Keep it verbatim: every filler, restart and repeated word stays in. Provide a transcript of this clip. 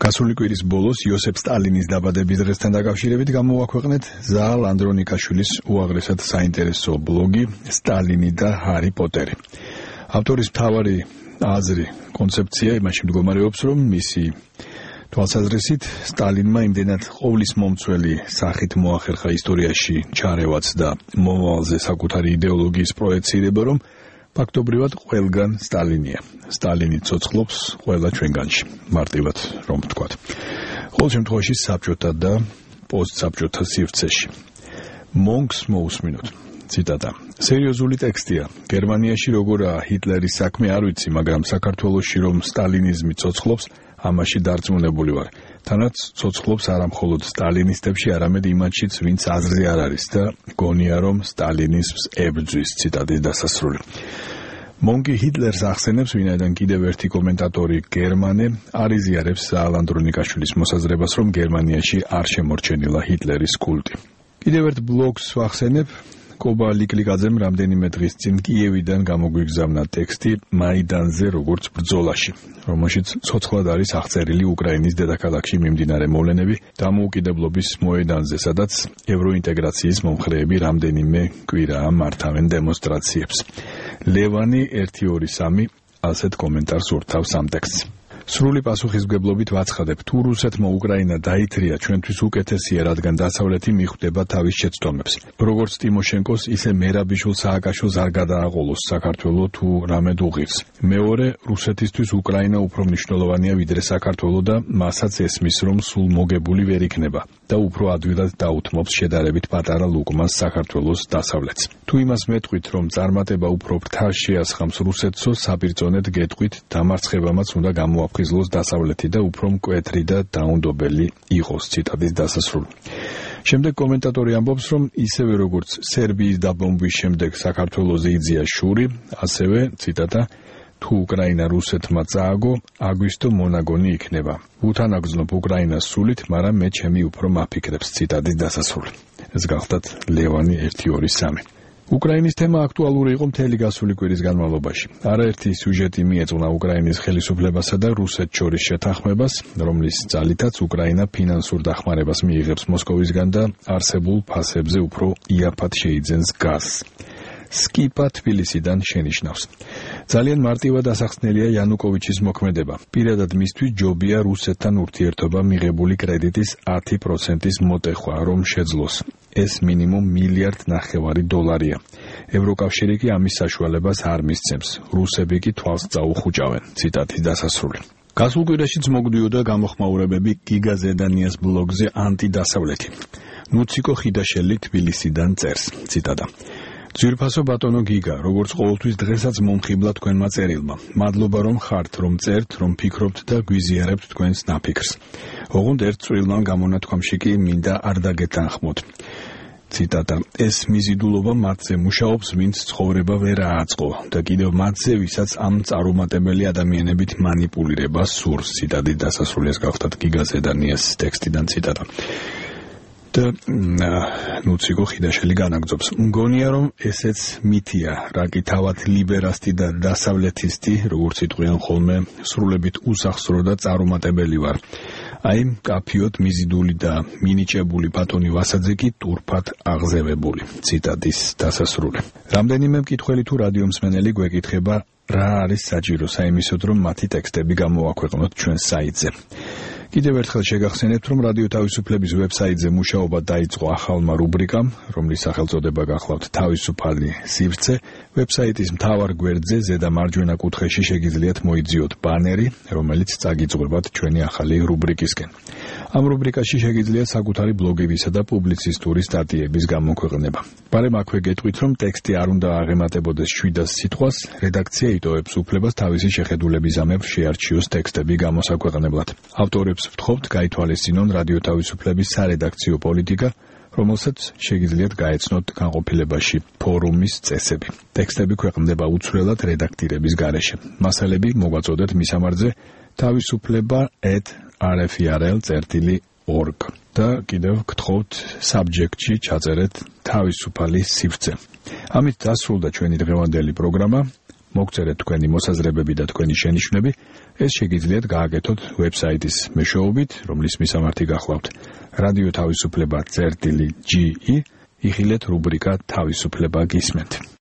გასული კვირის ბოლოს იოსებ სტალინის დაბადების დღესთან დაკავშირებით გამოვაქვეყნეთ ზაალ ანდრონიკაშვილის უაღრესად საინტერესო ბლოგი სტალინი და ჰარი პოტერი. ავტორის მთავარი აზრი, კონცეფცია იმაში მდგომარეობს, რომ მისი თვალსაზრისით სტალინმა იმდენად ყოვლის მომცველი სახით მოახერხა ისტორიაში ჩარევაც და მომავალზე საკუთარი იდეოლოგიის პროექცირება, რომ ფაქტობრივად ყველგან სტალინია. სტალინი ცოცხლობს ყველა ჩვენგანში, მარტივად რომ ვთქვათ. ყოველ შემთხვევაში საბჭოთა და პოსტსაბჭოთა სივრცეში. მონკს მოусმინოთ. ციტატა. სერიოზული ტექსტია. გერმანიაში როგორაა ჰიტლერის საქმე არ ვიცი, მაგრამ საქართველოში რომ სტალინიზმი ცოცხლობს, ამაში დარწმუნებული ვარ. თანაც ცოცხლობს არა მხოლოდ სტალინისტებში, არამედ იმათშიც, ვინც აზრზე არ არის და გონია რომ სტალინიზმს ებრძვის. ციტატის დასასრული. მონკი ჰიტლერს ახსენებს, ვინაიდან კიდევ ერთი კომენტატორი გერმანე არ იზიარებს ზაალ ანდრონიკაშვილის მოსაზრებას, რომ გერმანიაში არ შემორჩენილა ჰიტლერის კულტი. კიდევ ერთ ბლოგს ვახსენებ. კობა ლიკლიკაძემ რამდენიმე დღის წინ კიევიდან გამოგვიგზავნა ტექსტი მაიდანზე როგორც ბრძოლაში, რომელშიც ცოცხლად არის აღწერილი უკრაინის დედაქალაქში მიმდინარე მოვლენები დამოუკიდებლობის მოედანზე, სადაც ევროინტეგრაციის მომხრეები რამდენიმე კვირაა მართავენ დემონსტრაციებს. ლევანი ერთი ორი სამი ასეთ კომენტარს ურთავს ამ ტექსტს. სრული პასუხისმგებლობით ვაცხადებ, თუ რუსეთმა უკრაინა დაითრია, ჩვენთვის უკეთესია, რადგან დასავლეთი მიხვდება თავის შეცდომებს. როგორც ტიმოშენკოს, ისე მერაბიშვილ სააკაშვილს არ გადააყოლოს საქართველო თუ რამედ უღირს. მეორე, რუსეთისთვის უკრაინა უფრო მნიშვნელოვანია ვიდრე საქართველო და მასაც ესმის, რომ სულ მოგებული ვერ იქნება და უფრო ადვილად დაუთმობს შედარებით პატარა ლუკმას საქართველოს დასავლეთს. თუ იმას მეტყვით, რომ წარმატება უფრო ფრთას შეასხამს რუსეთსო, საბირწონედ გეტყვით, დამარცხებამაც უნდა გამოაფრთხილოს ხიზლოს დასავლეთი და უფრო მკვეთრი და დაუნდობელი იყოს. ციტატის დასასრული. შემდეგ კომენტატორი ამბობს, რომ ისევე როგორც სერბიის დაბომბვის შემდეგ საქართველოზე იძლია შური, ასევე, ციტატა, თუ უკრაინა რუსეთმა წააგო, აგვისტო მონაგონი იქნება. უთანაგზნობ უკრაინას სულით, მაგრამ მე ჩემი უფრო მაფიქრებს. ციტატის დასასრული. ეს გახლდათ ლევანი ერთი ორი სამი. უკრაინის თემა აქტუალური იყო მთელი გასული კვირის განმავლობაში. არაერთი სიუჟეტი მიეძღვნა უკრაინის ხელისუფლებასა და რუსეთს შორის შეთანხმებას, რომლის ძალითაც უკრაინა ფინანსურ დახმარებას მიიღებს მოსკოვისგან და არსებულ ფასებზე უფრო იაფად შეიძენს გაზს. სკიპა თბილისიდან შენიშნავს. ძალიან მარტივად ასახსნელია იანუკოვიჩის მოქმედება. პირადად მისთვის ჯობია რუსეთთან ურთიერთობა მიღებული კრედიტის ათი პროცენტის მოტეხვა, რომ შეძლოს. ეს მინიმუმ მილიარდ ნახევარი დოლარია. ევროკავშირი კი ამის საშუალებას არ მისცემს. რუსები კი თვალს წაუხუჭავენ. ციტატის დასასრული. გასულ კვირაშიც მოგვდიოდა გამოხმაურებები გიგა ზედანიას ბლოგზე ანტიდასავლეთი. ნუციკო ხიდაშელი თბილისიდან წერს. ციტატა. ძვირფასო ბატონო გიგა, როგორც ყოველთვის დღესაც მომხიბლა თქვენმა წერილმა. მადლობა რომ ხართ, რომ წერთ, რომ ფიქრობთ და გვიზიარებთ თქვენს ნაფიქრს. ოღონდ ერთ წვრილმან გამონათქვამში კი მინდა არ დაგეთანხმოთ. ციტატა. ეს მიზიდულობა მათზე მუშაობს, ვინც ცხოვრება ვერ ააწყო და კიდევ მათზე, ვისაც ამ წარუმატებელი ადამიანებით მანიპულირება სურს. ციტატის დასასრული. ეს გახლდათ გიგა ზედანიას ტექსტიდან ციტატა. და ნუციკო ხიდაშელი განაგძობს. მგონია რომ ესეც მითია, რა კი თავად ლიბერასტი და დასავლეთისტი, როგორც იტყვიან ხოლმე, სრულებით უსახსრო და წარუმატებელი ვარ. აი, კაფიოთ მიზიდული და მინიჭებული ბატონი ვასაძე კი ტურფად აღზევებული. ციტატის დასასრული. რამდენიმე მკითხველი თუ რადიომსმენელი გვეკითხება, რა არის საჭირო საიმისოდ, რომ მათი ტექსტები გამოვაქვეყნოთ ჩვენს საიტზე. კიდევ ერთხელ შეგახსენებთ, რომ რადიო თავისუფლების ვებსაიტზე მუშაობა დაიწყო ახალმა რუბრიკამ, რომლის სახელწოდება გახლავთ თავისუფალი სივრცე. ვებსაიტის მთავარ გვერდზე ზედა მარჯვენა კუთხეში შეგიძლიათ მოიძიოთ ბანერი, რომელიც წაგიძღვებათ ჩვენი ახალი რუბრიკისკენ. ამ რუბრიკაში შეგიძლიათ საკუთარი ბლოგებისა და პუბლიცისტური სტატიების გამოქვეყნება. ბარემ აქვე გეტყვით, რომ ტექსტი არ უნდა აღემატებოდეს შვიდას სიტყვას, რედაქცია იტოვებს უფლებას თავისი შეხედულების ამებ შეარჩიოს ტექსტები გამოსაქვეყნებლად. ავტორებს ვთხოვთ გაითვალისწინონ რადიო თავისუფლების სარედაქციო პოლიტიკა, რომელსაც შეგიძლიათ გაეცნოთ განყოფილებაში ფორუმის წესები. ტექსტები ქვეყნდება უცვლელად რედაქტირების გარეშე. მასალები მოგვაწოდეთ მისამართზე თავისუფლება at r f i r l dot org და კიდევ გთხოვთ subject-ში ჩაწერეთ თავისუფალი სივრცე. ამით დასრულდა ჩვენი დღევანდელი პროგრამა. მოგწერეთ თქვენი მოსაზრებები და თქვენი შენიშვნები, ეს შეგიძლიათ გააკეთოთ ვებსაიტის მეშვეობით, რომლის მისამართი გახლავთ რადიო თავისუფლება წერტილი ჯი ი, იხილეთ რუბრიკა თავისუფლება გისმენთ.